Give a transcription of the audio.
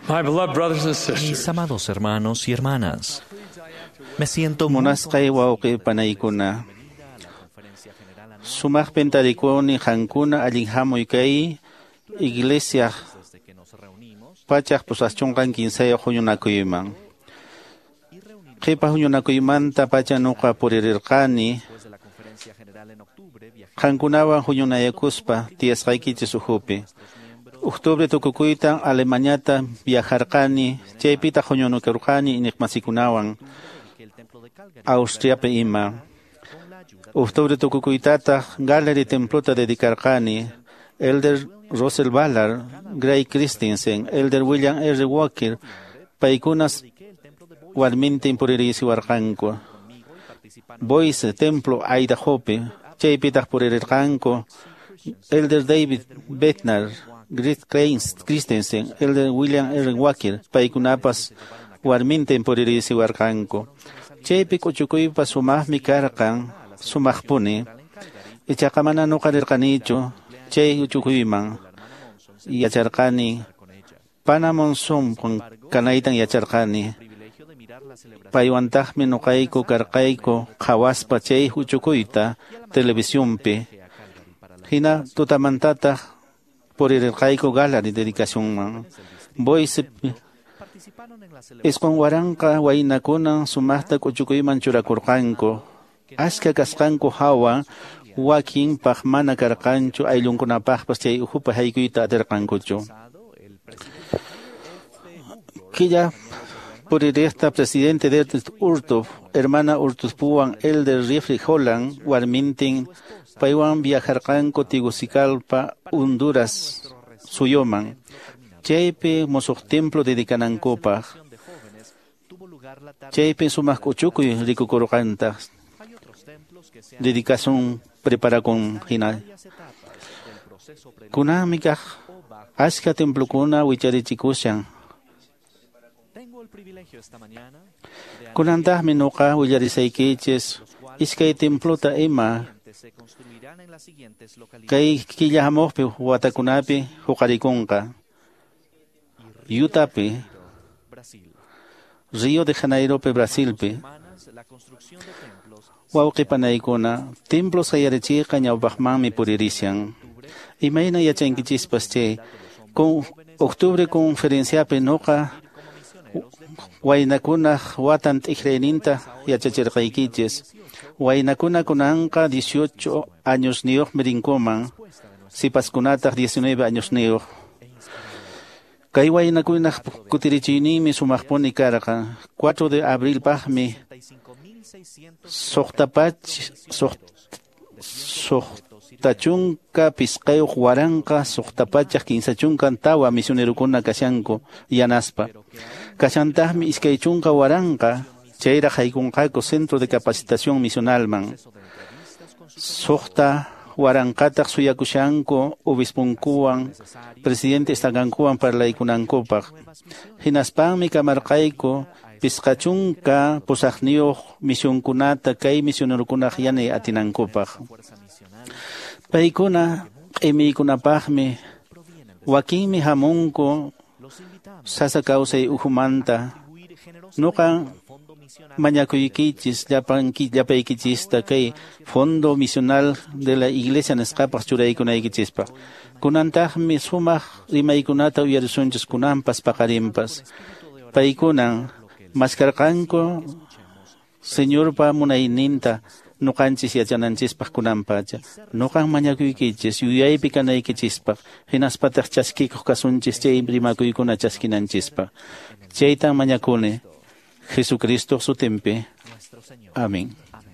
My beloved brothers and sisters, Mis amados hermanos y hermanas, me siento muy Munasqay wawqi panaykuna. Sumaqpin tarikuni qankuna allin hamuy kay iglesia desde que nos reunimos 183 huñunakuyman. Qhipa huñunakuymanta pacha nuqa puririrqani después de la conferencia general en octubre viajé qankunawan huñunayakuspa tiyasqaykichis ukhupi. Octubre tukukuyta Alemaniata viajarqani, chaypitaq huñunakurqani iñiqmasikunawan que el templo de Calgary Austriapi ima. con la ayuda Octubre tukukuytataq Gallery templota dedicarqani Elder Russell Ballard, Gray Christensen, Elder William R. Walker, paykunas que el templo de Boise warmintin puririysiwarqanku. conmigo y participaron Boise templo Idahopi, chaypitaq purirqanku Elder David Bednar, Grit Christensen, Elder William R. Walker, paykunapas warmintin puririysiwarqanku. Chaypi k'uchukuypa sumaqmi karqan, sumaqpuni. en Calgary Ichaqa mana nuqa rirqanichu chay uchukuyman yacharqani con ella. pana Monzón kanaytan yacharqani. Privilegio de mirar la celebración Paywantaqmi nuqayku karqayku qhawaspa chay uchukuyta televisionpi. a Calgary para la Hina tutamantataq purirqayku Gallery dedicacionman. Boise participaron en la celebración isqun waranqa waynakunan sumaqta k'uchukuyman churakurqanku. Achka kasqanku hawa wakinpaq mana karqanchu ayllunkunapaqpas chay ukhupi haykuyta atirqankuchu. pasado el presidente F. Killa puririqta presidente de Urtuf, hermana Urtufpuwan Elder Jeffrey Holland, warmintin paywan viajarqanku Tegucigalpa, Honduras suyuman. Chaypi musuq templo dedicanankupaq. de jóvenes tuvo lugar la tarde. Chaypi sumaq k'uchukuy rikukurqantaq. Hay otros templos que se han Dedicación preparakun hina. varias etapas del proceso preliminar Kunanmi kaq o bajo. achka templokuna wicharichikushan. Tengo el privilegio esta mañana de Kunantaqmi nuqa willarisaykichis iskay templota ima que se construirán en las siguientes localidades. kay killa hamuqpi watakunapi huqarikunqa. Yutapi, Brasil. Río de Janeiropi, Brasilpi. Hermanas, la construcción de templos Wawqi panaykuna, templo sayarichiyqa ñawpaqmanmi puririshan. Imayna yachankichispas chay, con octubre conferenciapi nuqa waynakunaq watan t'ikrayninta yachachirqaykichis. Waynakuna kunanqa 18 añosniyuqmi rinkuman, sipaskunataq 19 añosniyuq. Kay waynakunaq kutirichiyninmi sumaqpuni karqan. 4 de abrilpaqmi 65.600 65,634 misionerukuna kashanku yanaspa. Kashantaqmi 20,000 chayraq haykunqaku Centro de Capacitación Misionalman. 6,000taq suyakushanku obispunkuwan presidente estakankuwan parlaykunankupaq. Hinaspanmi kamarqayku 58 misionkunata kay misionerukunaq yanay atinankupaq. fuerza misional Paykuna q'imiykunapaqmi wakinmi hamunku los invitamos sasa kawsay ukhumanta. a contribuir generosamente Nuqa al fondo misional mañakuykichis llapaykichista kay Fondo Misional de la Iglesia nisqapaq churaykunaykichispaq. Kunantaqmi sumaq rimaykunata uyarisunchis kunanpas paqarinpas. Paykunan maskarqanku Señorpa munayninta nuqanchis yachananchispaq kunanpacha. Nuqan mañakuykichis yuyaypi kanaykichispaq hinaspataq chaskikuq kasunchis chay rimakuykuna chaskinanchispaq. Chaytan mañakuni Jesucristo sutinpi. nuestro Señor. Amén. Amén.